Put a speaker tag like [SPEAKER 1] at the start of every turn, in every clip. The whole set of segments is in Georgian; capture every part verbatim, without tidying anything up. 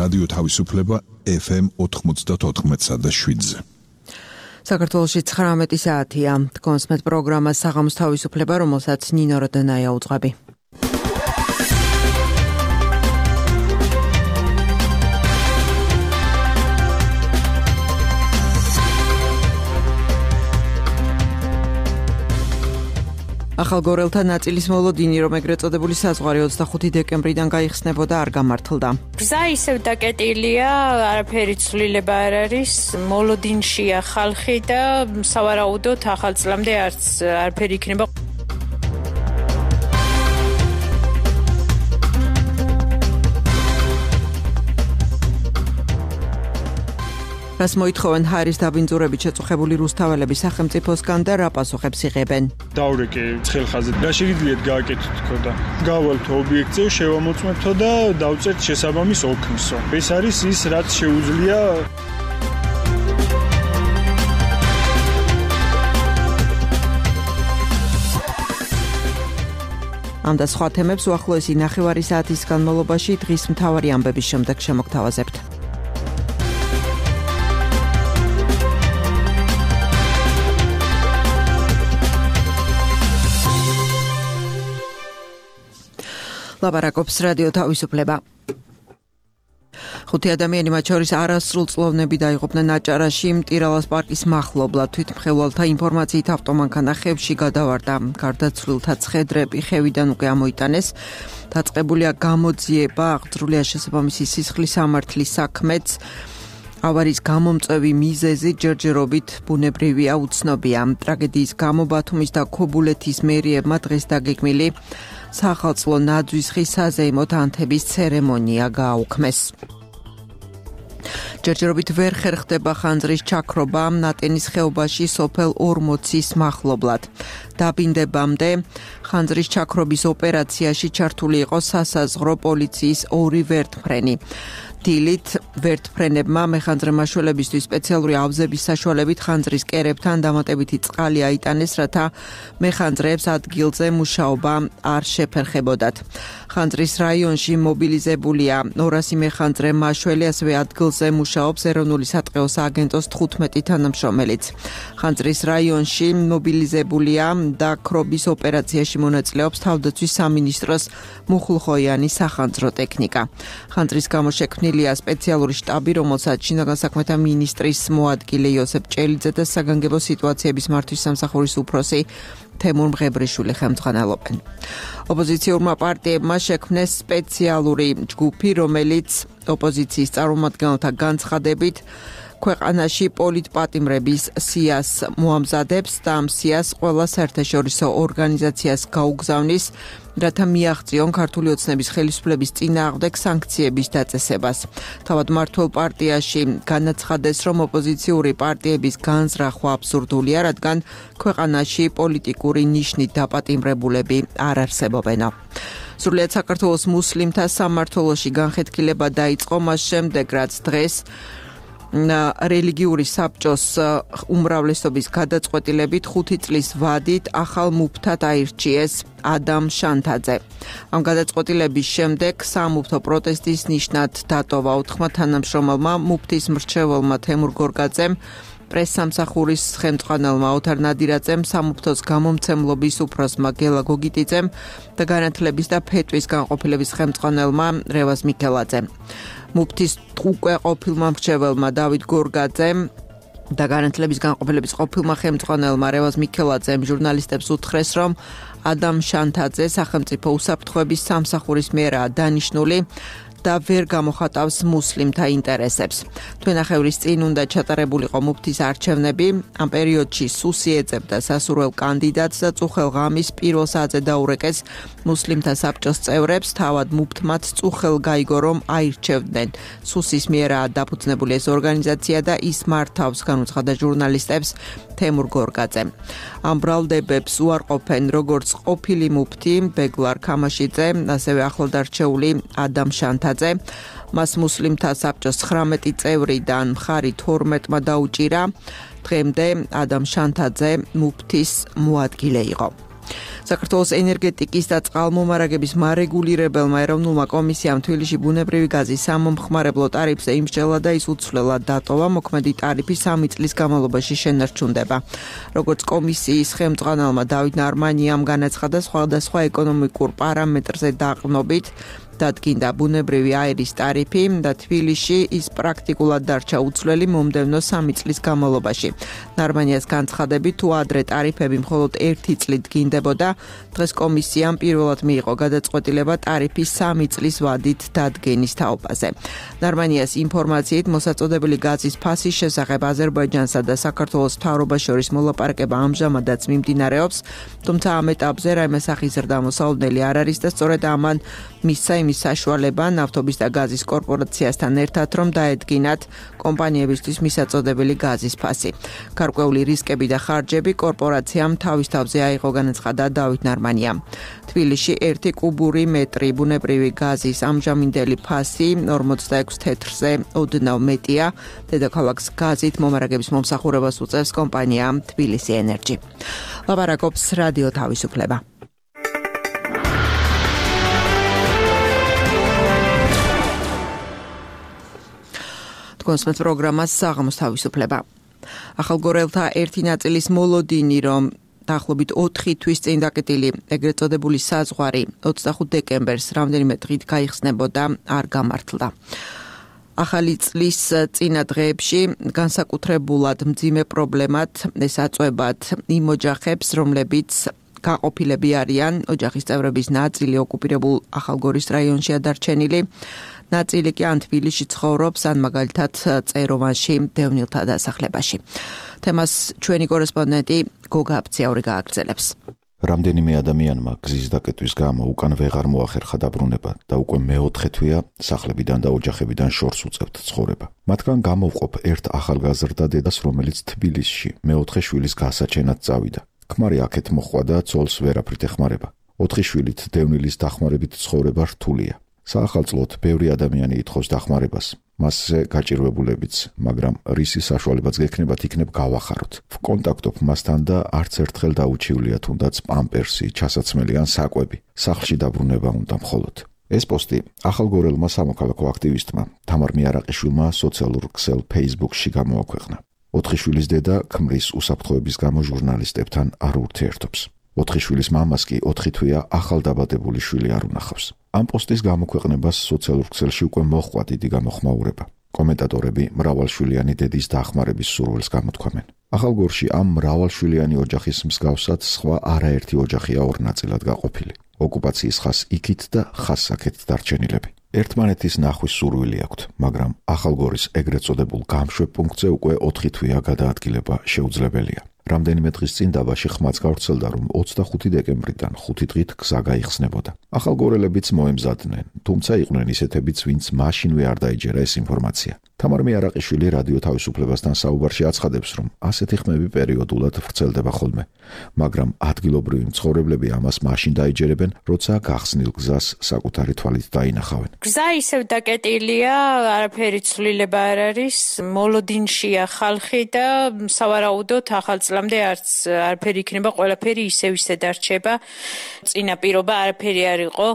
[SPEAKER 1] რადიო თავისუფლება ეფ ემ ოთხმოცდაოთხ და შვიდზე.
[SPEAKER 2] საქართველოში ცხრამეტი საათია. კონსმეთ პროგრამა საღამოს თავისუფლება, რომელსაც ნინო როდენაია უძღვები. ახალგორელთა ნაწილის მოლოდინი, რომ ეგრეთ წოდებული საზღვარი ოცდახუთი დეკემბრიდან გაიხსნებოდა, არ გამართლდა.
[SPEAKER 3] გზა ისევ დაკეტილია, არაფერი ცვლილება არ არის, მოლოდინშია ხალხი და სავარაუდოდ ახალ წლამდე არც არაფერი იქნება. რას მოითხოვენ ჰაერის დაბინძურებით შეწუხებული რუსთაველები სახელმწიფოსგან და რა პასუხებს იღებენ?
[SPEAKER 4] დავრეკე ცხელხაზით. რა შეგიძლიათ გააკეთოთ თქო და გავალთ ობიექტზე, შევამოწმებთო და დავწერთ შესაბამის ოქნსო. ეს არის ის, რაც შეუძლია
[SPEAKER 2] ამ და სხვა თემებს უახლოესი ნახევარი საათის განმავლობაში დღის მთავარი ამბების შემდეგ შემოგთავაზებთ. ლაპარაკობს რადიო თავისუფლება. ხუთი ადამიანი, მათ შორის არასრულწლოვნები დაიღუპნენ აჭარაში მტირალას პარკის მახლობლად. თვითმხელვალთა ინფორმაციით ავტომანქანა ხევში გადავარდა. გარდაცვლილთა ცხედრები ხევიდან უკვე ამოიტანეს. დაწყებულია გამოძიება, აღძრულია შესაბამისი სისხლის სამართლის საქმეც. ავარიის გამომწვევი მიზეზი ჯერჯერობით ბუნებრივია, უცნობია. ტრაგედიის გამო ბათუმის და ქობულეთის მერიებმა დღეს დაგეგმილი სახალხო ნაძვის ხის საზეიმო თანთების ცერემონია გააუქმეს. ჯერჯერობით ვერ ხერხდება ხანძრის ჩაქრობა ნატენის ხეობაში სოფელ ორმოცის მახლობლად. დაბინდებამდე ხანძრის ჩაქრობის ოპერაციაში ჩართული იყო სასაზღვრო პოლიციის ორი ვერტმფრენი. დილით ვერტმფრენებმა მეხანძრემაშველებისთვის სპეციალური ავზების საშუალებით ხანძრის კერებთან დამატებითი წყალი აიტანეს, რათა მეხანძრეებს ადგილზე მუშაობა არ შეფერხებოდათ. ხანძრის რაიონში მობილიზებულია ორასი მეხანძრე მაშველი, ასევე ადგილზე მუშაობს ეროვნული სატყეო სააგენტოს თხუთმეტი თანამშრომელიც. ხანძრის რაიონში მობილიზებულია და ქრობის ოპერაციაში მონაწილეობს თავდაცვის სამინისტროს მუხლუხოიანი სახანძრო ტექნიკა. ხანძრის გამო შექმნილია სპეციალური შტაბი, რომელსაც შინაგან საქმეთა მინისტრის მოადგილე იოსებ ჭელიძე და საგანგებო სიტუაციების მართვის სამსახურის უფროსი თემურ მღებრიშვილი ხელმძღვანელობენ. ოპოზიციურმა პარტიებმა შექმნეს სპეციალური ჯგუფი, რომელიც ოპოზიციის წარმომადგენელთა განცხადებით ქვეყანაში პოლიტპატიმრების სიას მოამზადებს და ამ სიას ყველა საერთაშორისო ორგანიზაციას გაუგზავნის, რათა მიაღწიონ ქართული ოცნების ხელისუფლების წინააღმდეგ სანქციების დაწესებას. თავად მმართველ პარტიაში განაცხადეს, რომ ოპოზიციური პარტიების განზრახვა აბსურდულია, რადგან ქვეყანაში პოლიტიკური ნიშნით დაპატიმრებულები არ არსებობენ. სრულიად საქართველოს მუსლიმთა სამმართველოში განხეთქილება დაიწყო მას შემდეგ, რაც დღეს რელიგიური საბჭოს უმრავლესობის გადაწყვეტილებით ხუთი წლის ვადით ახალ მუფთად აირჩიეს ადამ შანთაძე. ამ გადაწყვეტილების შემდეგ სამუფთო პროტესტის ნიშნად დატოვა ოთხმა თანამშრომელმა, მუფთის მრჩეველმა თემურ გორგაძემ, პრესსამსახურის ხელმძღვანელმა ოთარ ნადირაძემ, სამუფთოს გამომცემლობის უფროსმა გელა გოგიტიძემ და განათლების და ფეტვის განყოფილების ხელმძღვანელმა რევაზ მიქელაძემ. მუფთის უკვე ყოფილმა მრჩეველმა დავით გორგაძემ და განათლების განყოფილების ყოფილმა ხელმძღვანელმა რევაზ მიქელაძემ ჟურნალისტებს უთხრეს, რომ ადამ შანთაძე სახელმწიფო უსაფრთხოების სამსახურის მიერაა დანიშნული და ვერ გამოხატავს მუსლიმთა ინტერესებს. თვენახევრის წინ უნდა ჩატარებულიყო მუფთის არჩევნები. ამ პერიოდში სუსი ეძებდა სასურველ კანდიდატს და წუხელ ღამის პირველ საათზე დაურეკეს მუსლიმთა საბჭოს წევრებს. თავად მუფთმაც წუხელ გაიგო, რომ აირჩევდნენ. სუსის მიერაა დაფუძნებული ეს ორგანიზაცია და ის მართავს, განუცხადა ჟურნალისტებს თემურ გორგაძემ. ამ ბრალდებებს უარყოფენ როგორც ყოფილი მუფთი ბეგლარ ქამაშიძე, ასევე ახლადარჩეული ადამ შანთაძე. მას მუსლიმთა საბჭოს ცხრამეტი წევრიდან მხარი თორმეტმა დაუჭირა. დღემდე ადამ შანთაძე მუფთის მოადგილე იყო. საქართველოს ენერგეტიკის და წყალმომარაგების მარეგულირებელმა ეროვნულმა კომისიამ თბილისში ბუნებრივი გაზის სამომხმარებლო ტარიფზე იმსჯელა და ის უცვლელად დატოვა, მოქმედი ტარიფი სამი წლის განმავლობაში შენარჩუნდება. როგორც კომისიის ხელმძღვანელმა დავით ნარმანიამ განაცხადა, სხვადასხვა ეკონომიკურ პარამეტრზე დაყრდნობით დადგინდა ბუნებრივი აირის ტარიფი და თბილისში ის პრაქტიკულად დარჩა უცვლელი მომდევნო სამი წლის განმავლობაში. ნარმანიას განცხადებით, თუ ადრე ტარიფები მხოლოდ ერთი წლით დგინდებოდა, დღეს კომისიამ პირველად მიიღო გადაწყვეტილება ტარიფის სამი წლის ვადით დადგენის თაობაზე. ნარმანიას ინფორმაციით, მოსაწოდებელი გაზის ფასის შესახებ აზერბაიჯანსა და საქართველოს მთავრობას შორის მოლაპარაკება ამჟამადაც მიმდინარეობს, თუმცა ამ ეტაპზე რაიმე სახის ზრდა მოსალოდნელი არ არის და სწორედ ამან მისცა იმის საშუალება ნავთობის და გაზის კორპორაციასთან ერთად, რომ დაედგინათ კომპანიებისთვის მისაწოდებელი გაზის ფასი. გარკვეული რისკები და ხარჯები კორპორაციამ თავის თავზე აიღო, განაცხადა დავით ნარმანიამ. თბილისში ერთი კუბური მეტრი ბუნებრივი გაზის ამჟამინდელი ფასი ორმოცდაექვსი თეთრზე ოდნავ მეტია. დედაქალაქს გაზით მომარაგების მომსახურებას უწევს კომპანია თბილისი ენერჯი. ლაპარაკობს რადიო თავისუფლება. კონსმეთ პროგრამას საღამოს თავისუფლება. ახალგორელთა ერთი ნაწილის მოლოდინი, რომ დაახლოებით ოთხი თვის წინ დაკეტილი ეგრეთ წოდებული საზღვარი ოცდახუთ დეკემბერს რამდენიმე დღით გაიხსნებოდა, არ გამართლდა. ახალი წლის წინა დღეებში განსაკუთრებულად მძიმე პრობლემად ეს აწვებათ იმ ოჯახებს, რომლებიც გაყოფილები არიან, ოჯახის წევრების ნაწილი ოკუპირებულ ახალგორის რაიონშია დარჩენილი, ნაწილი კი ან თბილისში ცხოვრობს, ან მაგალითად წეროვანში, დევნილთა დასახლებაში. თემას ჩვენი კორესპონდენტი გოგა აფციაური გააგრძელებს.
[SPEAKER 5] რამდენიმე ადამიანმა გზის დაკეტვის გამო უკან ვეღარ მოახერხა დაბრუნება და უკვე მეოთხე თვეა სახლებიდან და ოჯახებიდან შორს უწევთ ცხოვრება. მათგან გამოვყოფ ერთ ახალგაზრდა დედას, რომელიც თბილისში მეოთხე შვილის გასაჩენად წავიდა. ქმარი აქეთ მოხვა და ცოლს ვერაფრით ეხმარება. ოთხი შვილით დევნილის დახმარებით ცხოვრება რთულია. საახალწლოდ ბევრი ადამიანი ითხოვს დახმარებას, მასზე გაჭირვებულებიც, მაგრამ რისი საშუალებაც გექნებათ, იქნებ გავახაროთ. ვკონტაქტობ მასთან და არც ერთხელ დაუჩივლია თუნდაც პამპერსი, ჩასაცმელი ან საკვები. სახლში დაბრუნება უნდა მხოლოდ. ეს პოსტი ახალგორელმა სამოქალაქო აქტივისტმა თამარ მიარაყიშვილმა სოციალურ ქსელ Facebook-ში გამოაქვეყნა. ოთხი შვილის დედა ქმრის უსაფრთხოების გამო ჟურნალისტებთან არ ურთიერთობს. ოთხი შვილის მამას კი ოთხი თვეა ახალდაბადებული შვილი არ უნახავს. ამ პოსტის გამოქვეყნებას სოციალურ ქსელში უკვე მოჰყვა დიდი გამოხმაურება. კომენტატორები მრავალშვილიანი დედის დახმარების სურვილს გამოთქვამენ. ახალგორში ამ მრავალშვილიანი ოჯახის მსგავსად სხვა არაერთი ოჯახია ორ ნაწილად გაყოფილი. ოკუპაციის ხას იქით და ხას აქეთ დარჩენილები. ერთმანეთის ნახვის სურვილი აქვთ, მაგრამ ახალგორის ეგრეთ წოდებულ გამშვებ პუნქტზე უკვე ოთხი თვეა გადაადგილება შეუძლებელია. რამდენიმე დღის წინ დაბაში ხმაც გავრცელდა, რომ ოცდახუთი დეკემბრიდან ხუთი დღით გზა გაიხსნებოდა. ახალგორელებიც მოემზადნენ, თუმცა იყვნენ ისეთებიც, ვინც მაშინვე არ დაიჯერა ეს ინფორმაცია. თამარ მიარაყიშვილი რადიო თავისუფლებასთან საუბარში აცხადებს, რომ ასეთი ხმები პერიოდულად ვრცელდება ხოლმე, მაგრამ ადგილობრივი მცხოვრებლები ამას მაშინ დაიჯერებენ, როცა გახსნილ გზას საკუთარი თვალით დაინახავენ.
[SPEAKER 3] გზა ისევ დაკეტილია, არაფერი ცვლილება არ არის, მოლოდინშია ხალხი და სავარაუდოდ ახალ წლამდე არც არაფერი იქნება, ყველაფერი ისევ ისე დარჩება. წინა პირობა არაფერი არ იყო,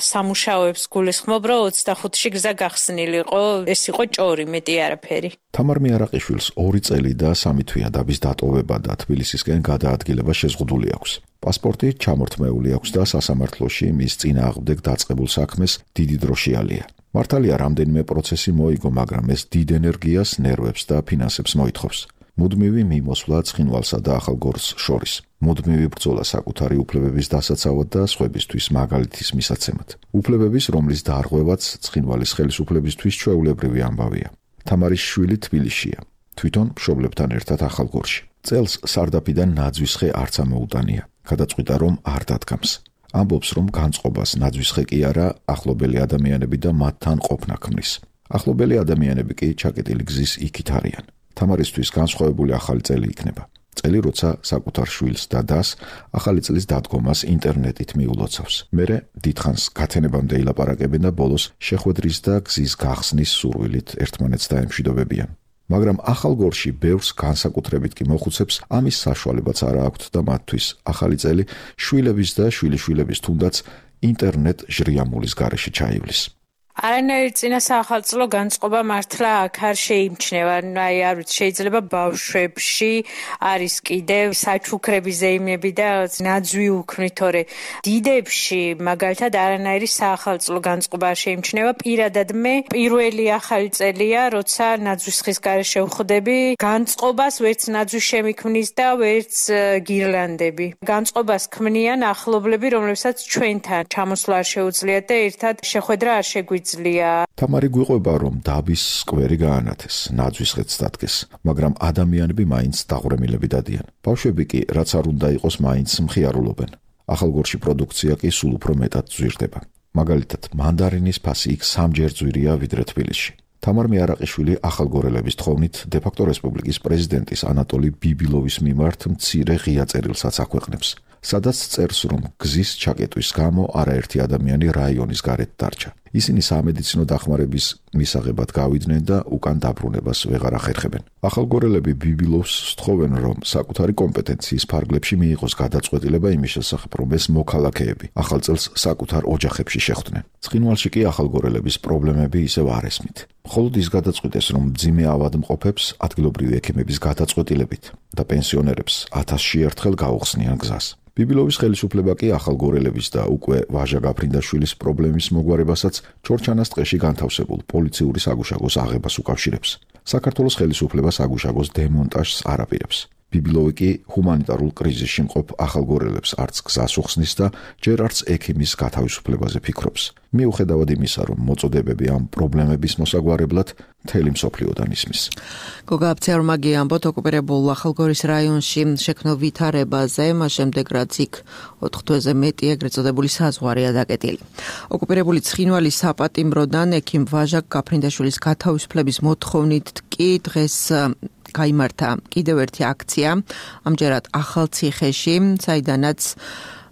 [SPEAKER 3] სამუშაოებს გულისხმობ, რომ ოცდახუთში გზა გახსნილი იყო, ეს იყო ჭორი, მეტი არაფერი.
[SPEAKER 5] თამარ მიარაყიშვილს ორი წელი და სამი თვეა დაბის დატოვება და თბილისისკენ გადაადგილება შეზღუდული აქვს. პასპორტი ჩამორთმეული აქვს და სასამართლოში მის წინააღმდეგ დაწყებულ საქმეს დიდი დრო შეალია. მართალია რამდენიმე პროცესი მოიგო, მაგრამ ეს დიდ ენერგიას, ნერვებს და ფინანსებს მოითხოვს. მუდმივი მიმოსვლა ცხინვალსა და ახალგორს შორის. მუდმივი ბრძოლა საკუთარი უფლებების დასაცავად და სხვებისთვის მაგალითის მისაცემად. უფლებების, რომლის დარღვევაც ცხინვალის ხელისუფლებისთვის ჩვეულებრივი ამბავია. თამარის შვილი თბილისშია, თვითონ მშობლებთან ერთად ახალგორში. წელს სარდაფიდან ნაძვისხე არც ამოუტანია. გადაწყვიტა, რომ არ დადგამს. ამბობს, რომ განწყობას ნაძვისხე კი არა, ახლობელი ადამიანები და მათთან ყოფნა ქმნის. ახლობელი ადამიანები კი ჩაკეტილი გზის იქით არიან. თამარისთვის განსხვავებული ახალი წელი იქნება. წელი, როცა საკუთარ შვილს და დას ახალი წლის დადგომას ინტერნეტით მიულოცავს. მერე დიდხანს გათენებამდე ილაპარაკებენ და ბოლოს შეხვედრის და გზის გახსნის სურვილით ერთმანეთს დაემშვიდობებიან. მაგრამ ახალ გორში ბევრს განსაკუთრებით კი მოხუცებს ამის საშუალებაც არ აქვთ და მათთვის ახალი წელი შვილების და შვილიშვილების თუნდაც ინტერნეტ ჟრიამულის გარეშე ჩაივლის.
[SPEAKER 3] არანაირი წინა საახალწლო განწყობა მართლა აქ არ შეიმჩნევა. აი არ ვიცი, შეიძლება ბავშვებში არის კიდევ საჩუქრები ზეიმები და ნაძვი უქმნით, თორე დიდებში მაგალითად არანაირი საახალწლო განწყობა არ შეიმჩნევა. პირადად მე პირველი ახალი წელია, როცა ნაძვის ხის გარეშე ვხვდები, განწყობას ვერც ნაძვის შემიქმნის და ვერც გირლანდები. განწყობას ქმნიან ახლობლები, რომლებსაც ჩვენთან ჩამოსვლა არ შეუძლიათ და ერთად შეხვედრა არ შეგვიძლია.
[SPEAKER 5] თამარი გვიყვება, რომ დაბის სკვერი გაანათეს, ნაძვის ხეთს დადგეს, მაგრამ ადამიანები მაინც დაღვრემილები დადიან. ბავშვები კი, რაც არ უნდა იყოს, მაინც მხიარულობენ. ახალგორში პროდუქცია კი სულ უფრო მეტად ზვირდება. მაგალითად, მანდარინის ფასი იქ სამჯერ ძვირია ვიდრე თბილისში. თამარ მეარაყიშვილი ახალგორელების თხოვნით დე-ფაქტო რესპუბლიკის პრეზიდენტის ანატოლი ბიბილოვის მიმართ მცირე ღია წერილსაც აქვეყნებს, სადაც წერს, რომ გზის ჩაკეტვის გამო არაერთი ადამიანი რაიონის გარეთ დარჩა. ისინი სამედიცინო დახმარების მისაღებად გავიდნენ და უკან დაბრუნებას ვეღარ ახერხებენ. ახალგორელები ბიბილოვს სთხოვენ, რომ საკუთარი კომპეტენციის ფარგლებში მიიღოს გადაწყვეტილება იმის შესახებ, რომ ეს მოქალაქეები ახალ წელს საკუთარ ოჯახებში შეხვდნენ. ცხინვალში კი ახალგორელების პრობლემები ისევ არ ესმით. მხოლოდ ის გადაწყვიტეს, რომ მძიმე ავადმყოფებს ადგილობრივი ექიმების გადაწყვეტილებით და პენსიონერებს ათასში ერთხელ გაუხსნიან გზას. ბიბილოვის ხელისუფლება კი ახალგორელების და უკვე ვაჟა გაფრინდაშვილის პრობლემის მოგვარებასაც ჩორჩანას ტყეში განთავსებულ პოლიციური საგუშაგოს აღებას უკავშირებს. საქართველოს ხელისუფლება საგუშაგოს დემონტაჟს არ აპირებს. ბიბილოვი კი ჰუმანიტარულ კრიზისში მყოფ ახალგორელებს არც გზას უხსნის და ჯერ არც ექიმის გათავისუფლებაზე ფიქრობს. მიუხედავად იმისა, რომ მოწოდებები ამ პრობლემების მოსაგვარებლად მთელი მსოფლიოდან ისმის.
[SPEAKER 2] გოგა აფციარმაგი ამბობთ ოკუპირებულ ახალგორის რაიონში შექმნილ ვითარებაზე, მას შემდეგ რაც იქ ოთხ თვეზე მეტი ეგრეთ წოდებული საზღვარია დაკეტილი. ოკუპირებული ცხინვალის საპატიმროდან ექიმ ვაჟა გაფრინდაშვილის გათავისუფლების მოთხოვნით კი დღეს გაიმართა კიდევ ერთი აქცია, ამჯერად ახალციხეში, საიდანაც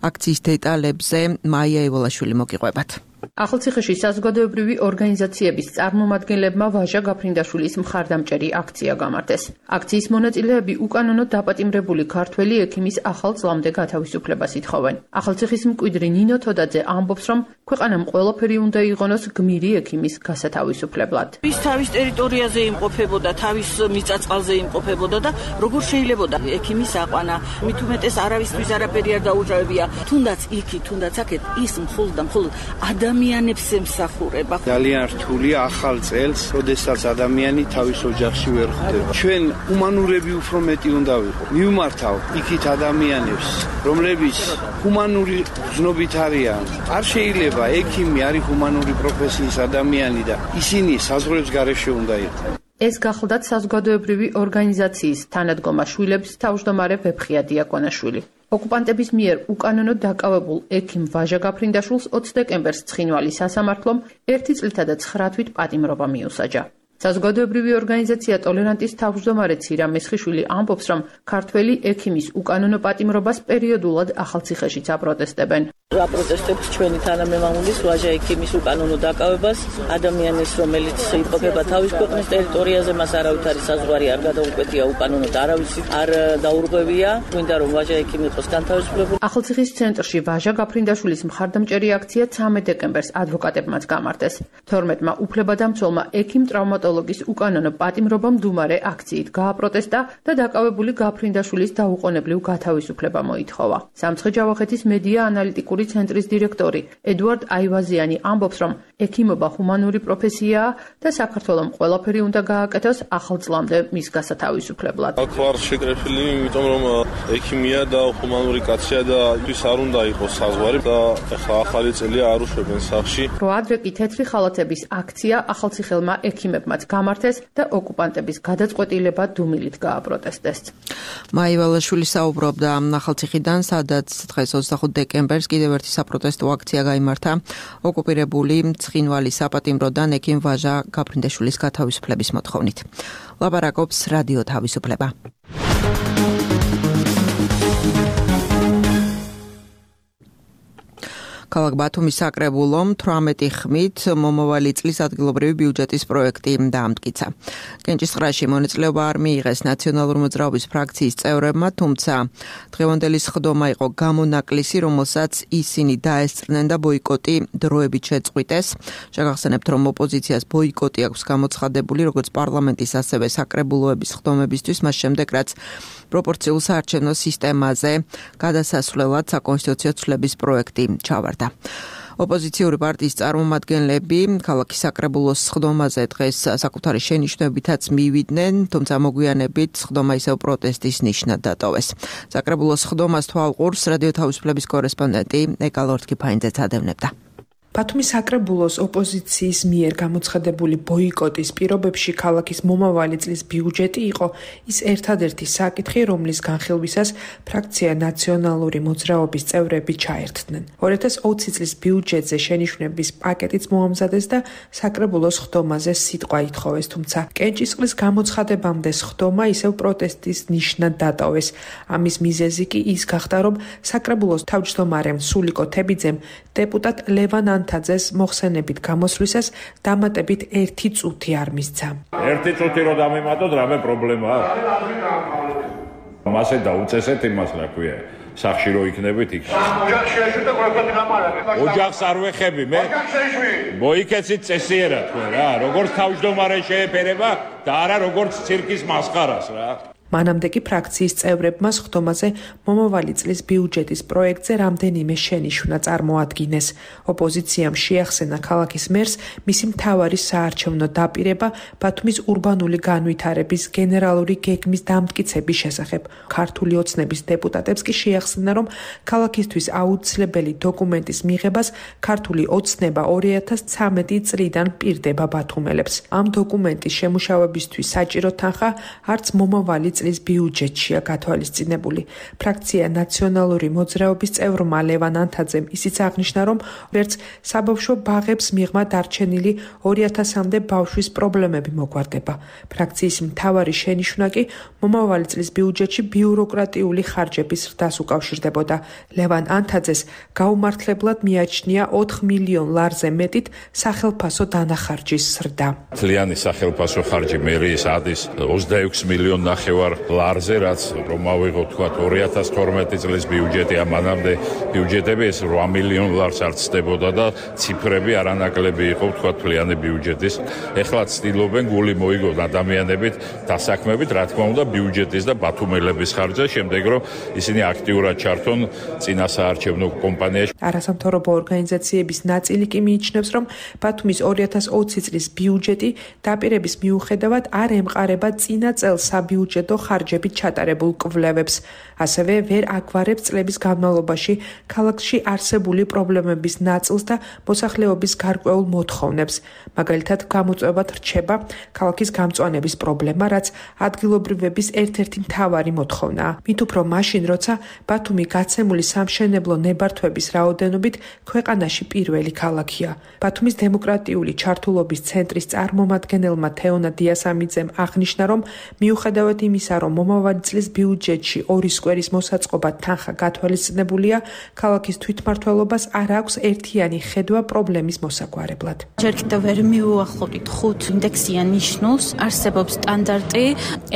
[SPEAKER 2] აქციის დეტალებზე მაია ევალაშვილი მოგიყვებათ.
[SPEAKER 6] ახალციხეში საზოგადოებრივი ორგანიზაციების წარმომადგენლებმა ვაჟა გაფრინდაშვილის მხარდამჭერი აქცია გამართეს. აქციის მონაწილეები უკანონოდ დაპატიმრებული ქართველი ექიმის ახალ წლამდე გათავისუფლებას ითხოვენ. ახალციხის მკვიდრი ნინო თოდაძე ამბობს, რომ ქვეყანამ ყველაფერი უნდა იღონოს გმირი ექიმის გასათავისუფლებლად.
[SPEAKER 7] ის თავის ტერიტორიაზე იმყოფებოდა, თავის მიწა-წყალზე იმყოფებოდა და როგორ შეიძლებოდა ექიმის აყვანა, მით უმეტეს არავისთვის არაფერი არ დაუჭირებია, თუნდაც იქი, თუნდაც აქეთ ის მხოლოდ და მხოლოდ ადამიანებს ემსახურება.
[SPEAKER 8] ძალიან რთულია ახალ წელს, როდესაც ადამიანი თავის ოჯახში ვერ ხვდება. ჩვენ ჰუმანურები უფრო მეტი უნდა ვიყო. მივმართავ იქით ადამიანებს, რომლებიც ჰუმანური გზნობით არიან. არ შეიძლება ექიმი არის ჰუმანური პროფესიის ადამიანი და ისინი საზღვრებს გარეშე უნდა იყოს.
[SPEAKER 6] ეს გახლდათ საზოგადოებრივი ორგანიზაციის თანადგომა შვილების თავმჯდომარე ვეფხია დიაკონაშვილი. ოკუპანტების მიერ უკანონოდ დაკავებულ ექიმ ვაჟა გაფრინდაშვილს ოცი დეკემბერს ცხინვალის სასამართლომ ერთი წლითა და ცხრა თვით პატიმრობა მიუსაჯა. საზოგადოებრივი ორგანიზაცია ტოლერანტის თავმჯდომარე ცირა მესხიშვილი ამბობს, რომ ქართველი ექიმის უკანონო პატიმრობას პერიოდულად ახალციხეშიც აპროტესტებენ.
[SPEAKER 7] აპროტესტებს ჩვენი თანამემამულის ვაჟა ექიმის უკანონო დაკავებას, ადამიანის, რომელიც იმყოფება თავის ქვეყნის ტერიტორიაზე, მას არავითარი საზღვარი არ გადაუკვეთია, უკანონოდ არავისი არ დაურღვევია, გვინდა რომ ვაჟა ექიმი იყოს განთავისუფლებული.
[SPEAKER 6] ახალციხის ცენტრში ვაჟა გაფრინდაშვილის მხარდამჭერი აქცია ცამეტ დეკემბერს ადვოკატებმაც გამართეს. თორმეტმა უფლებადამცველმა ექიმ ტრავმატოლოგის უკანონო პატიმრობა მდუმარე აქციით გააპროტესტა და დაკავებული გაფრინდაშვილის დაუყოვნებლივ გათავისუფლება მოითხოვა. სამცხე-ჯავახეთის მედია ანალიტიკური ცენტრის დირექტორი ედუარდ აივაზიანი ამბობს, რომ ექიმობა ჰუმანური პროფესიაა და საქართველოს ყველაფერი უნდა გააკეთოს ახალ წლამდე მის გასათავისუფლებლად.
[SPEAKER 9] აქ ვარ შეკრებილი, იმიტომ რომ ექიმია და ჰუმანური კაცია და ის არ უნდა იყოს საზღვარი და ახლა ახალი წელია არ უშვებენ სახში.
[SPEAKER 6] რო ადრე კი თეთრი ხალათების აქცია ახალციხელმა ექიმებმაც გამართეს და ოკუპანტების გადაწყვეტილება დუმილით გააპროტესტეს.
[SPEAKER 2] მაია ევალაშვილი საუბრობდა ახალციხიდან, სადაც დღეს ოცდახუთ დეკემბერს კიდევ ერთი საპროტესტო აქცია გაიმართა ოკუპირებული ცხინვალის საპატიმროდან ექიმ ვაჟა გაფრინდაშვილის გათავისუფლების მოთხოვნით. ლაპარაკობს რადიო თავისუფლება. ქალაქ ბათუმის საკრებულომ თვრამეტი ხმით მომავალი წლის ადგილობრივი ბიუჯეტის პროექტი დაამტკიცა. კენჭისყრაში მონაწილეობა არ მიიღეს ნაციონალური მოძრაობის ფრაქციის წევრებმა, თუმცა დღევანდელი სხდომა იყო გამონაკლისი, რომელსაც ისინი დაესწრნენ და ბოიკოტი დროებით შეწყვიტეს. შეგახსენებთ, რომ ოპოზიციას ბოიკოტი აქვს გამოცხადებული როგორც პარლამენტის, ასევე საკრებულოების სხდომებისთვის, მას შემდეგ რაც პროპორციულ საარჩევნო სისტემაზე გადასასვლელად საკონსტიტუციო ცვლილების პროექტი ჩავარდა. ოპოზიციური პარტიის წარმომადგენლები ქალაქის საკრებულოს სხდომაზე დღეს საკუთარი შენიშვნებითაც მივიდნენ, თუმცა მოგვიანებით სხდომა ისევ პროტესტის ნიშნად დატოვეს. საკრებულოს სხდომას თვალყურს რადიო თავისუფლების კორესპონდენტი ეკა ლორთქიფაინძეც ადევნებდა.
[SPEAKER 10] ბათუმის საკრებულოს ოპოზიციის მიერ გამოცხადებული ბოიკოტის პირობებში ქალაქის მომავალი წლის ბიუჯეტი იყო ის ერთადერთი საკითხი, რომლის განხილვისას ფრაქცია ნაციონალური მოძრაობის წევრები ჩაერთდნენ. ორი ათას ოცი წლის ბიუჯეტზე შენიშვნების პაკეტიც მოამზადეს და საკრებულოს სხდომაზე სიტყვა ითხოვეს, თუმცა კენჭისყრის გამოცხადებამდე სხდომა ისევ პროტესტის ნიშნად დატოვეს. ამის მიზეზი კი ის გახდა, რომ საკრებულოს თავმჯდომარემ სულიკო თებიძემ დეპუტატ ლევან ანთაძეს მოხსენებით გამოსვლისას დამატებით ერთი წუთი არ მისცა.
[SPEAKER 11] ერთი წუთი რო დამემატოთ, რამე პრობლემაა? მასე დაუწესეთ იმას, რა ქვია, სახში რო იქნებით იქ. ოჯახს არ ვეხები მე? მოიქეცით წესიერად თქვენ რა, როგორც თავმჯდომარე შეეფერება და არა როგორც ცირკის მასხარას რა.
[SPEAKER 10] მანამდე კი ფრაქციის წევრებმა სხდომაზე მომავალი წლის ბიუჯეტის პროექტზე რამდენიმე შენიშვნა წარმოადგინეს. ოპოზიციამ შეახსენა ქალაქის მერს მისი მთავარი საარჩევნო დაპირება ბათუმის ურბანული განვითარების გენერალური გეგმის დამტკიცების შესახებ. ქართული ოცნების დეპუტატებს კი შეახსენა, რომ ქალაქისთვის აუცილებელი დოკუმენტის მიღებას ქართული ოცნება ორი ათას ცხრამეტი წლიდან პირდება ბათუმელებს. ამ დოკუმენტის შემუშავებისთვის საჭირო თანხა არც მომავალი წლის ბიუჯეტშია გათვალისწინებული. ფრაქცია ნაციონალური მოძრაობის წევრმა ლევან ანთაძემ ისიც აღნიშნა, რომ ვერც საბავშვო ბაღებს მიღმა დარჩენილი ორი ათასამდე ბავშვის პრობლემები მოგვარდება. ფრაქციის მთავარი შენიშვნა კი მომავალი წლის ბიუჯეტში ბიუროკრატიული ხარჯების ზრდას უკავშირდებოდა. ლევან ანთაძეს გაუმართლებლად მიაჩნია ოთხ მილიონ ლარზე მეტით სახელფასო დანახარჯის ზრდა.
[SPEAKER 11] მთლიანი სახელფასო ხარჯი მერიის ადის ოცდაექვსი მილიონ ნახევარ ლარზე, რაც რომ ავიღოთ თქვა ორი ათას თორმეტი წლის ბიუჯეტი, ამანამდე ბიუჯეტები ეს რვა მილიონ ლარს არ ცდებოდა და ციფრები არანაკლები იყო თქვა თვლიანი ბიუჯეტის. ეხლა ცდილობენ გული მოიგონ ადამიანებით, დასაქმებით, რა თქმა უნდა, ბიუჯეტის და ბათუმელების ხარჯზე, შემდეგ რომ ისინი აქტიურად ჩართონ წინა საარჩევნო კომპანიაში.
[SPEAKER 10] არასამთავრობო ორგანიზაციების ნაწილი კი მიიჩნევს, რომ ბათუმის ორი ათას ოცი წლის ბიუჯეტი დაპირების მიუხედავად არ ემყარება წინა წელს საბიუჯეტო ხარჯებით ჩატარებულ კვლევებს. ასევე ვერ აგვარებს წლების განმავლობაში ქალაქში არსებული პრობლემების ნაწილს და მოსახლეობის გარკვეულ მოთხოვნებს. მაგალითად, გამოწვევად რჩება ქალაქის გამწვანების პრობლემა, რაც ადგილობრივების ერთ-ერთი მთავარი მოთხოვნაა. მით უფრო მაშინ, როცა ბათუმი გაცემული სამშენებლო ნებართვების რაოდენობით ქვეყანაში პირველი ქალაქია. ბათუმის დემოკრატიული ჩართულობის ცენტრის წარმომადგენელმა თეონა დიასამიძემ აღნიშნა, რომ მიუხედავად იმისა, რომ მომავალი წლის ბიუჯეტში ორი სკვერის მოსაწყობა თანხა გათვალისწინებულია, ქალაქის თვითმმართველობას არ აქვს ერთიანი ხედვა პრობლემის მოსაგვარებლად.
[SPEAKER 12] ჯერ კიდევ ვერ მიუახლოვდით ხუთ ინდექსიან ნიშნულს, არსებობს სტანდარტი,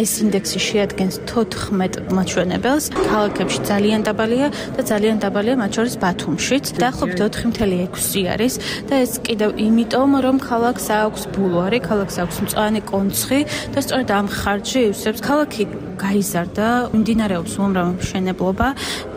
[SPEAKER 12] ეს ინდექსი შეადგენს თოთხმეტ მაჩვენებელს, ქალაქებში ძალიან დაბალია და ძალიან დაბალია მათ შორის ბათუმშიც, დაახლოებით ოთხი წელი ექვსი არის და ეს კიდევ იმიტომ, რომ ქალაქს აქვს ბულვარი, ქალაქს აქვს მწვანე კონცხი და სწორედ ამ ხარჯი ივსებს ქალაქი გაიზარდა, მიმდინარეობს უამრავი მშენებლობა,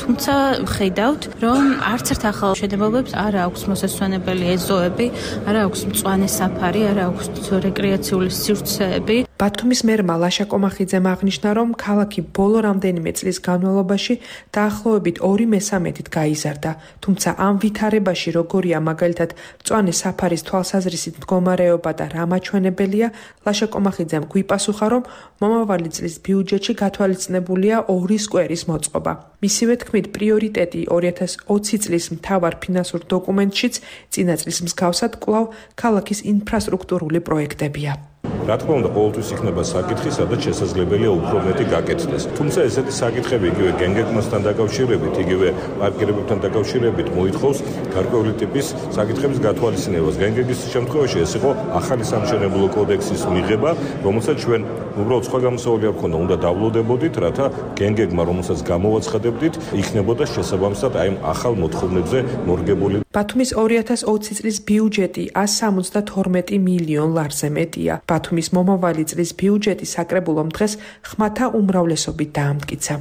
[SPEAKER 12] თუმცა ხედავთ, რომ არც ერთ ახალ მშენებლობებს არ აქვს მოსასვენებელი ეზოები, არ აქვს მწვანე საფარი, არ აქვს რეკრეაციული სივრცეები.
[SPEAKER 10] ბათუმის მერმა ლაშა კომახიძემ აღნიშნა, რომ ქალაქი ბოლო რამდენიმე წლის განმავლობაში დაახლოებით ორი მესამედით გაიზარდა, თუმცა ამ ვითარებაში როგორია მაგალითად მწვანე საფარის თვალსაზრისით მდგომარეობა და რა მაჩვენებელია, ლაშა კომახიძემ გვიპასუხა, რომ მომავალი წლის ბიუჯეტში გათვალისწინებულია ორი სკვერის მოწყობა. მისივე თქმით, პრიორიტეტი ორი ათას ოცი წლის მთავარ ფინანსურ დოკუმენტშიც წინა წლის მსგავსად კვლავ ქალაქის ინფრასტრუქტურული პროექტებია.
[SPEAKER 13] რა თქმა უნდა, ყოველთვის იქნება საკითხი, სადაც შესაძლებელია უფრო მეტი გაკეთდეს. თუმცა ესეთი საკითხები იგივე გენგეგმასთან დაკავშირებით, იგივე პარკირებებთან დაკავშირებით მოითხოვს გარკვეული ტიპის საკითხების გათვალისწინებას. გენგეგის შემთხვევაში ეს იყო ახალი სამშენებლო კოდექსის მიღება, რომელსაც ჩვენ უბრალოდ სხვა გამოსავალი არ ქონდა, უნდა დავლოდებოდით, რათა გენგეგმა, რომელსაც გამოვაცხადებდით, იქნებოდა შესაბამისად აი ახალ მოთხოვნებზე მორგებული.
[SPEAKER 10] ბათუმის ორი ათას ოცი წლის ბიუჯეტი ას სამოცდათორმეტი მილიონ ლარზე მეტია. ბათუმის მომავალი წლის ბიუჯეტი საკრებულომ დღეს ხმათა უმრავლესობით დაამტკიცა.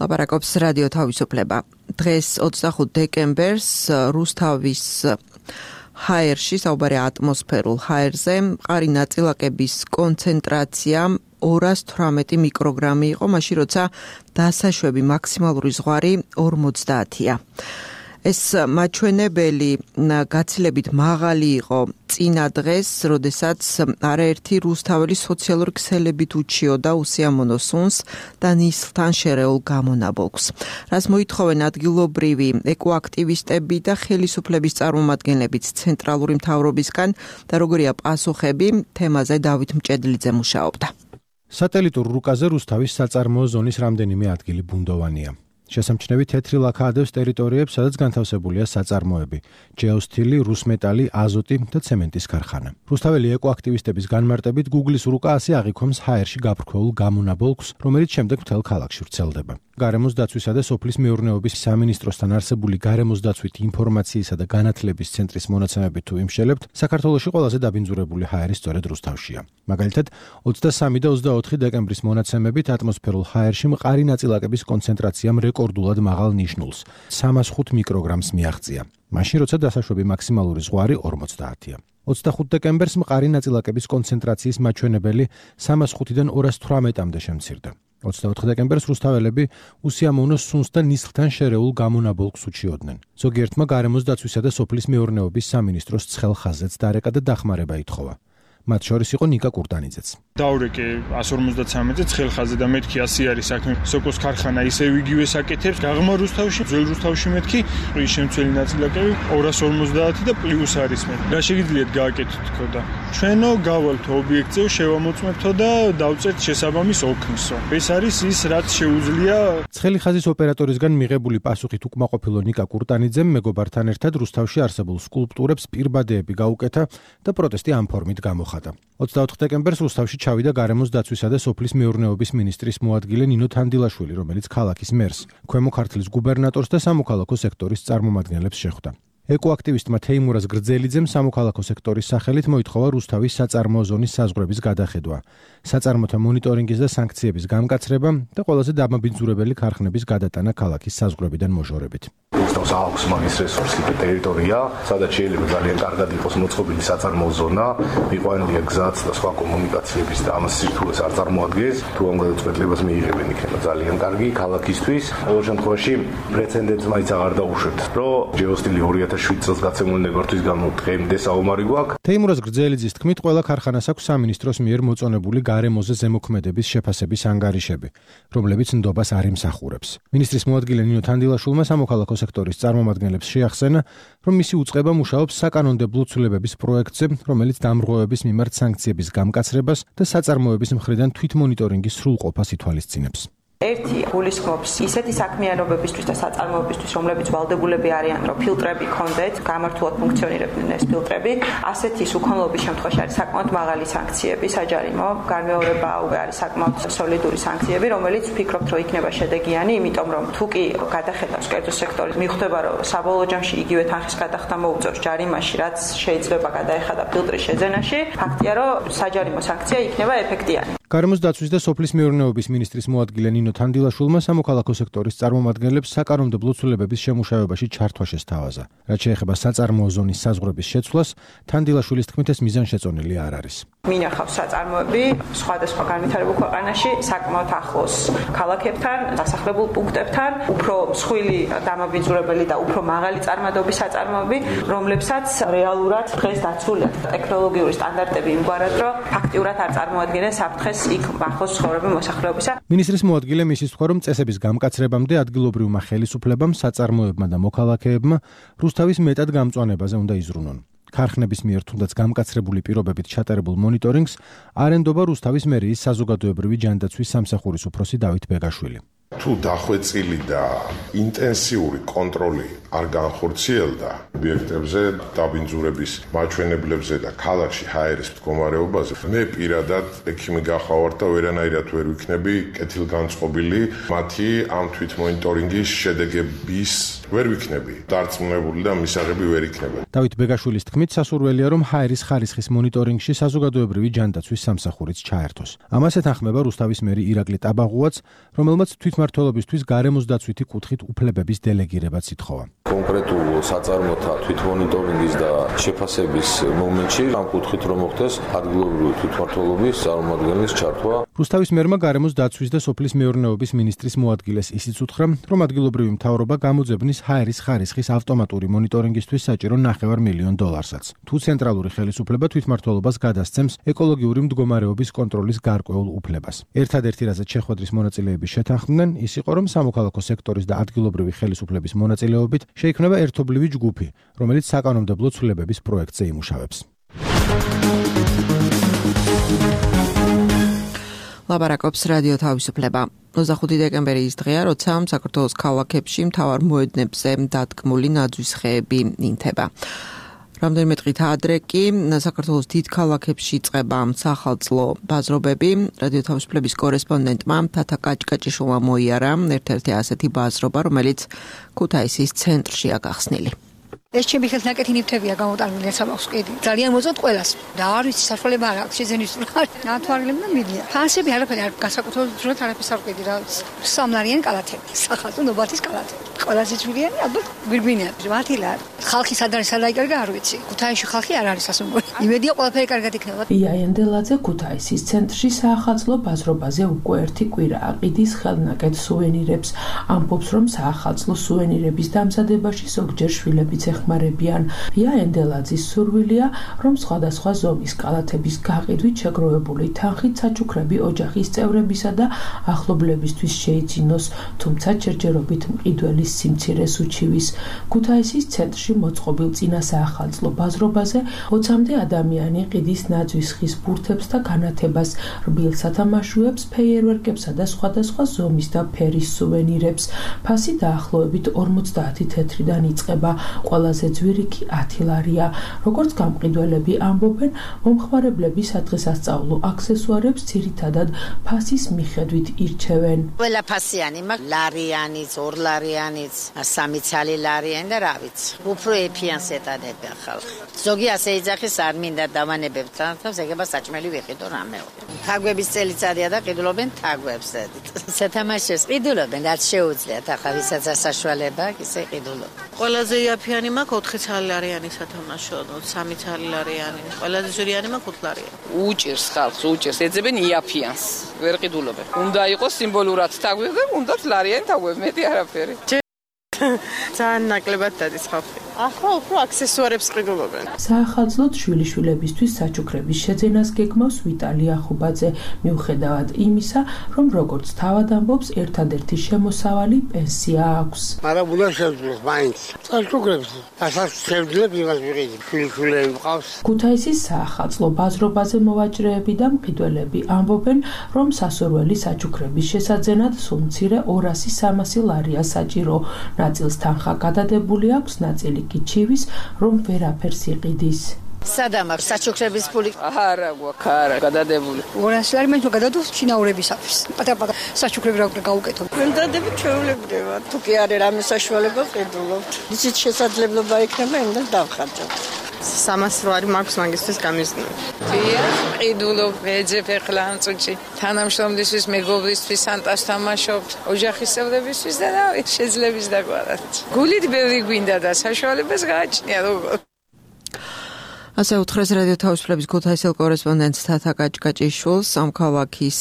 [SPEAKER 2] ლაპარაკობს რადიო თავისუფლება. დღეს ოცდახუთ დეკემბერს რუსთავის ჰაერში, საუბარია ატმოსფერულ ჰაერზე, მყარი ნაწილაკების კონცენტრაცია ორას თვრამეტი მიკროგრამი იყო, მაშინ როცა დასაშვები მაქსიმალური ზღვარი ორმოცდაათია. ეს მაჩვენებელი გაცილებით მაღალი იყო წინა დღეს, როდესაც არაერთი რუსთაველი სოციალური ქსელებით უჩიოდა უსიამოვნო სუნს და ნისლთან შერეულ გამონაბოლქვს. რას მოითხოვენ ადგილობრივი ეკოაქტივისტები და ხელისუფლების წარმომადგენლებიც ცენტრალური მთავრობისგან და როგორია პასუხები, თემაზე დავით მჭედლიძე მუშაობდა.
[SPEAKER 14] სატელიტურ რუკაზე რუსთავის საწარმოო ზონის რამდენიმე ადგილი ბუნდოვანია. შესამჩნევი თეთრი ლაქა ადევს ტერიტორიებს, სადაც განთავსებულია საწარმოები: ჯეოსთილი, რუსმეტალი, აზოტი და ცემენტის ქარხანა. რუსთაველი ეკოაქტივისტების განმარტებით, Google-ის რუკა ასე აღიქვამს ჰაერში გაფრქვეულ გამონაბოლქვს, რომელიც შემდეგ მთელ ქალაქში ვრცელდება. გარემოს დაცვისა და სოფლის მეურნეობის სამინისტროსთან არსებული გარემოს დაცვითი ინფორმაციისა და განათლების ცენტრის მონაცემებით თუ იმშელებთ, საქართველოში ყველაზე დაბინძურებული ჰაერი სწორედ რუსთავშია. მაგალითად, ოცდასამი და ოცდაოთხი დეკემბრის მონაცემებით ატმოსფერულ ჰაერში მყარი ნაწილაკების კონცენტრაციამ რეკორდულად მაღალ ნიშნულს სამას ხუთ მიკროგრამს მიაღწია. მაშინ როცა დასაშვები მაქსიმალური ზღვარი ორმოცდაათია. ოცდახუთ დეკემბერს მყარი ნაწილაკების კონცენტრაციის მაჩვენებელი სამას ხუთიდან ორას თვრამეტამდე შემცირდა. ოცდაოთხ დეკემბერს რუსთაველები უსიამოვნო სუნს და ნისლთან შერეულ გამონაბოლქვს უჩიოდნენ. ზოგიერთმა გარემოს დაცვისა და სოფლის მეურნეობის სამინისტროს ცხელ ხაზზეც დარეკა და დახმარება ითხოვა. მათ შორის იყო ნიკა კურტანიძეც.
[SPEAKER 4] დავრეკე ას ორმოცდაცამეტზე ცხელ ხაზზე და მეთქი ასი არის საქმე. სოკოს ქარხანა ისევ იგივე საკეთებს. გაღმა რუსთავში, ძველ რუსთავში მეთქი ის შემცველი ნაწილაკები ორას ორმოცდაათი და პლუს არის მე. რა შეგიძლიათ გააკეთოთ თქო და ჩვენო გავალთო ობიექტზე შევამოწმებთო და დავწერთ შესაბამის ოქნისო. ეს არის ის რაც შეუძლია.
[SPEAKER 14] ცხელი ხაზის ოპერატორისგან მიღებული პასუხით უკმაყოფილო ნიკა კურტანიძემ მეგობართან ერთად რუსთავში არსებულ სკულპტურებს პირბადეები გაუკეთა და პროტესტი ამ ფორმით გამოხატა. ოცდაოთხ დეკემბერს რუსთავში ჩავიდა გარემოს დაცვისა და სოფლის მეურნეობის მინისტრის მოადგილე ნინო თანდილაშვილი, რომელიც ქალაქის მერს, ქვემო ქართლის გუბერნატორს და სამოქალაქო სექტორის წარმომადგენლებს შეხვდა. ეკოაქტივისტმა თეიმურაზ გრძელიძემ სამოქალაქო სექტორის სახელით მოითხოვა რუსთავის საწარმოო ზონის საზღვრების გადახედვა, საწარმოთა მონიტორინგის და სანქციების გამკაცრება და ყველაზე დამაბინძურებელი ქარხნების გადატანა ქალაქის საზღვრებიდან მოჟორებით.
[SPEAKER 15] რუსთავს აქვს მაგის რესურსი და ტერიტორია, სადაც შეიძლება ძალიან კარგად იყოს მოწყობილი საწარმოო ზონა, მიყვანილია გზაც და სხვა კომუნიკაციების და ამას სირთულეს არ წარმოადგენს. თუ ამ გადაწყვეტილებას მიიღებენ, იქნება ძალიან კარგი ქალაქისთვის. ყოველ შემთხვევაში პრეცედენტს მაინც აღარ დაუშვებთ, რომ ჯეოსტილი ორი ათას შვიდ წელს გაცემული ნებართვის გამო დღემდე საომარი გვაქვს.
[SPEAKER 14] თეიმურაზ გრძელიძის თქმით, ყველა ქარხანას აქვს სამინისტროს მიერ მოწონებული გარემოზე ზემოქმედების შეფასების ანგარიშები, რომლებიც ნდობას არ იმსახურებს. მინისტრის მოადგილე ნინო თანდილაშვილმა სამოქალაქო სექტორის წარმომადგენლებს შეახსენა, რომ მისი უწყება მუშაობს საკანონმდებლო ცვლილებების პროექტზე, რომელიც დამრღვევების მიმართ სანქციების გამკაცრებას და საწარმოების მხრიდან თვითმონიტორინგის სრულყოფას ითვალისწინებს.
[SPEAKER 16] ერთი გულისხმობს ისეთი საქმიანობებისთვის და საწარმოებისთვის, რომლებიც ვალდებულები არიან, რომ ფილტრები ქონდეთ, გამართულად ფუნქციონირებდნენ ეს ფილტრები, ასეთი სუქონლობის შემთხვევაში არის საკმაოდ მაღალი სანქციები, საჯარიმო, განმეორება უკვე არის საკმაოდ სოლიდური სანქციები, რომელიც ვფიქრობთ, რომ იქნება შედეგიანი, იმიტომ რომ თუ კი გადახედავს კერძო სექტორის, მიხვდება, რომ საბოლოო ჯამში იგივე თანხის გადახდა მოუწევს ჯარიმაში, რაც შეიძლება გადაეხადა ფილტრის შეძენაში, ფაქტია, რომ საჯარიმო სანქცია იქნება ეფექტიანი.
[SPEAKER 14] გარემოს დაცვის და სოფლის მეურნეობის მინისტრის მოადგილე ნინო თანდილაშვილმა სამოქალაქო სექტორის წარმომადგენლებს საკანონმდებლო ცვლილებების შემუშავებაში ჩართვა შესთავაზა. რაც შეეხება საწარმოო ზონის საზღვრების შეცვლას, თანდილაშვილის თქმით ეს მიზანშეწონილი არ არის.
[SPEAKER 16] მინახავს საწარმოები სხვადასხვა განვითარებულ ქვეყანაში საკმაოდ ახლოს ქალაქებთან, დასახლებულ პუნქტებთან, უფრო მსხვილი დამაბინძურებელი და უფრო მაღალი წარმადობის საწარმოები, რომლებსაც რეალურად დღეს დაცულია ტექნოლოგიური სტანდარტები იმგვარად, რომ ფაქტიურად არ წარმოადგენენ საფრთხეს იქ ახლოს ცხოვრობენ მოსახლეობისა.
[SPEAKER 14] მინისტრის მოადგილე მისის თქვა, რომ წესების გამკაცრებამდე ადგილობრივმა ხელისუფლებამ, საწარმოებმა და მოქალაქეებმა რუსთავის მეტად გამწვანებაზე უნდა იზრუნონ. ქარხნების მიერ თუნდაც გამკაცრებული პირობებით ჩატარებულ მონიტორინგს არ ენდობა რუსთავის მერიის საზოგადოებრივი ჯანდაცვის სამსახურის უფროსი დავით ბეგაშვილი.
[SPEAKER 17] თუ დახვეწილი და ინტენსიური კონტროლი არ განხორციელდა ობიექტებზე, დაბინძურების მაჩვენებლებზე და ქალაქში ჰაერის მდგომარეობაზე, მე პირადად ექიმი გახავარ და ვერანაირად ვერ ვიქნები კეთილგანწყობილი მათი ამ თვითმონიტორინგის შედეგების ვერ ვიქნები. დარწმუნებული და მისაღები ვერ იქნება.
[SPEAKER 14] დავით ბეგაშვილის თქმით, სასურველია, რომ ჰაერის ხარისხის მონიტორინგში საზოგადოებრივი ჯანდაცვის სამსახურიც ჩაერთოს. ამას ეთანხმება რუსთავის მერი ირაკლი ტაბაღუაც, რომელმაც თვითმმართველობისთვის გარემოს დაცვითი კუთხით უფლებების დელეგირებაც ითხოვა.
[SPEAKER 9] კონკრეტულ საწარმოთა თვითმონიტორინგის და შეფასების მომენტში ამ კუთხით რომ მოხდეს ადგილობრივი თვითმმართველობის წარმომადგენლის ჩართვა.
[SPEAKER 14] რუსთავის მერმა გარემოს დაცვის და სოფლის მეურნეობის მინისტრის მოადგილეს ისიც უთხრა, რომ ადგილობრივი მთავრობა გამოძებნის ჰაერის ხარისხის ავტომატური მონიტორინგისთვის საჭირო ნახევარ მილიონ დოლარსაც. თუ ცენტრალური ხელისუფლება თვითმმართველობას გადასცემს ეკოლოგიური მდგომარეობის კონტროლის გარკვეულ უფლებას. ერთადერთი რაზეც შეხვედრის მონაწილეები შეთანხმდნენ, ის იყო, რომ სამოქალაქო სექტორის და ადგილობრივი ხელისუფლების მონაწილეობით შეიქმნება ერთობლივი ჯგუფი, რომელიც საკანონმდებლო ცვლილებების პროექტზე იმუშავებს.
[SPEAKER 2] ლაბარაკობს რადიო თავისუფლება. ოცდახუთი დეკემბერი ის დღეა, როცა საქართველოს ქალაქებში მთავარ მოედნებზე დადგმული ნაძვის ხეები ინთება. რამდენიმე დღით ადრე კი საქართველოს დიდ ქალაქებში იწყება სახალწლო ბაზრობები. რადიო თავისუფლების კორესპონდენტმა თათა კაჭკაჭიშვილმა მოიარა ერთ-ერთი ასეთი ბაზრობა, რომელიც ქუთაისის ცენტრშია გახსნილი.
[SPEAKER 18] ეს ჩემი ხელთ ნაკეთი ნივთებია გამოტანილი სამახს კიდე. ძალიან მოწონთ ყველას. და არ ვიცი საშუალება არ აქვს შეძენის ნათვალებმა და მიდია. ფასები არაფერი არ განსაკუთრებით არაფერს არ ვყიდი რა ვიცი. სამლარიანი კალათები, სახალხო ნობათის კალათები. ყველაზე ძვირიანი ალბათ გვირგვინია. მათილა ხალხი სად არის სად აიკარგა არ ვიცი. ქუთაისში ხალხი არ არის ასე მგონი. იმედია ყველაფერი კარგად იქნება.
[SPEAKER 10] იაენდელაძე ქუთაისის ცენტრში საახალწლო ბაზრობაზე უკვე ერთი კვირა აყიდის ხელნაკეთ სუვენირებს. ამბობს, რომ საახალწლო სუვენირების დამზადებაში ზოგჯერ შვილებიც ეხმარებიან. იაენდელაძის სურვილია, რომ სხვადასხვა ზომის კალათების გაყიდვით შეგროვებული თანხით საჩუქრები ოჯახის წევრებისა და ახლობლებისთვის შეიძინოს, თუმცა ჯერჯერობით მყიდველის სიმცირეს უჩივის. ქუთაისის ცენტრში მოწყობილ წინა საახალწლო ბაზრობაზე ოცამდე ადამიანი ყიდის ნაძვის ხის ბურთებს და განათებას, რბილ სათამაშოებს, ფეიერვერკებსა და სხვადასხვა ზომის და ფერის სუვენირებს. ფასი დაახლოებით ორმოცდაათი თეთრიდან იწყება. ყველაზე ძვირი კი ათი ლარია. როგორც გამყიდველები ამბობენ, მომხმარებლები სადღესასწაულო აქსესუარებს ძირითადად ფასის მიხედვით ირჩევენ.
[SPEAKER 19] ყველა ფასიანი მაქვს, ლარიანიც, ორლარიანიც, სამი ცალი ლარიანი და რა ვიცი. უფრო ეფიანს ეტანებია ხალხი. ზოგი ასე იძახის არ მინდა დავანებებ თავს, ეგება საჭმელი ვიყიდო რამეო. თაგვების წელიწადია და ყიდულობენ თაგვებს. სათამაშოს ყიდულობენ, რაც შეუძლიათ, ახლა ვისაც საშუალება აქვს, ისე ყიდულობენ.
[SPEAKER 20] ყველაზე იაფიანი მაქვს ოთხი ცალი ლარიანი სათამაშო, სამი ცალი ლარიანი. ყველაზე ძვირიანი მაქვს ოთხ ლარიანი.
[SPEAKER 21] უჭირს ხალხს, უჭირს, ეძებენ იაფიანს. ვერ ყიდულობენ. უნდა იყოს სიმბოლურად თაგვები და უნდათ ლარიანი თაგვები, მეტი არაფერი.
[SPEAKER 20] ძალიან ნაკლებად დადის ხალხი. ახლა უფრო აქსესუარებს ყიდულობენ.
[SPEAKER 10] საახალწლოდ შვილიშვილებისთვის საჩუქრების შეძენას გეგმავს ვიტალი ახუბაძე, მიუხედავად იმისა, რომ როგორც თავად ამბობს, ერთადერთი შემოსავალი პენსია აქვს.
[SPEAKER 22] მაგრამ უნდა შევძლებ მაინც. საჩუქრებს ასაც შევძლებ იმას ვიყიდი. შვილიშვილები მყავს.
[SPEAKER 10] ქუთაისის საახალწლო ბაზრობაზე მოვაჭრეები და მყიდველები ამბობენ, რომ სასურველი საჩუქრების შესაძენად სულ მცირე ორასი სამასი ლარია საჭირო. ნაწილს თანხა გადადებული აქვს, ნაწილი კი ჩივის, რომ ვერაფერს იყიდის.
[SPEAKER 19] სადამ აქვს საჩუქრების ფული?
[SPEAKER 21] არა, გვაქვს, არა, გადადებული.
[SPEAKER 18] ორასი ლარი მე გადადო შინაურებისათვის. პატარ-პატარ საჩუქრები რა გავუკეთო.
[SPEAKER 20] ვენდადები ჩვეულებდება. თუ კი არის რამე საშუალება ყიდულობთ. ისიც შესაძლებლობა იქნება, იმდენ დავხარჯავ. სამასი ლარი მაქვს მაგისთვის გამიზნული.
[SPEAKER 21] დიახ, ყიდულობ, ვეძებ ახლა ამ წუთში. თანამშრომლისთვის, მეგობრისთვის, სანტას თამაშობთ, ოჯახის წევრებისთვის და შეძლების დაგვარად. გულით ბევრი გვინდა და საშუალებას გააჩნია როგორ.
[SPEAKER 2] ასე უთხრეს რადიო თავისუფლების ქუთაისელ კორესპონდენტს თათა კაჭკაჭიშვილს ამ ქალაქის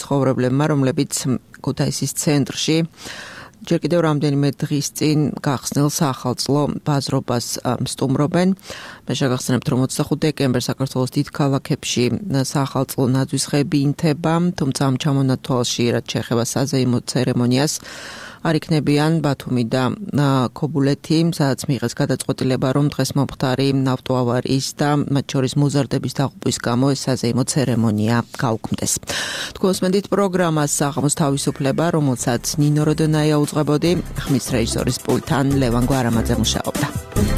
[SPEAKER 2] ცხოვრებლებმა, რომლებიც ქუთაისის ცენტრში ჯერ კიდევ რამდენიმე დღის წინ გახსნილ სახალწლო ბაზრობას სტუმრობენ. მე შეგახსენებთ, რომ ოცდახუთი დეკემბერს საქართველოს დიდ ქალაქებში სახალწლო ნაძვისხეები ინთება, თუმცა ამ ჩამონათვალში, რაც შეეხება საზეიმო ცერემონიას, არ იქნებიან ბათუმი და ქობულეთი, სადაც მიიღეს გადაწყვეტილება, რომ დღეს მომხდარი ავტოავარიის და მათ შორის მოზარდების დაღუპვის გამო ეს საზეიმო ცერემონია გაუქმდეს. თქვენს მედით პროგრამას საღამოს თავისუფლება, რომელსაც ნინო როდონაია უძღვებოდი, ხმის რეჟისორის პულტთან ლევან გვარამაძე მუშაობდა.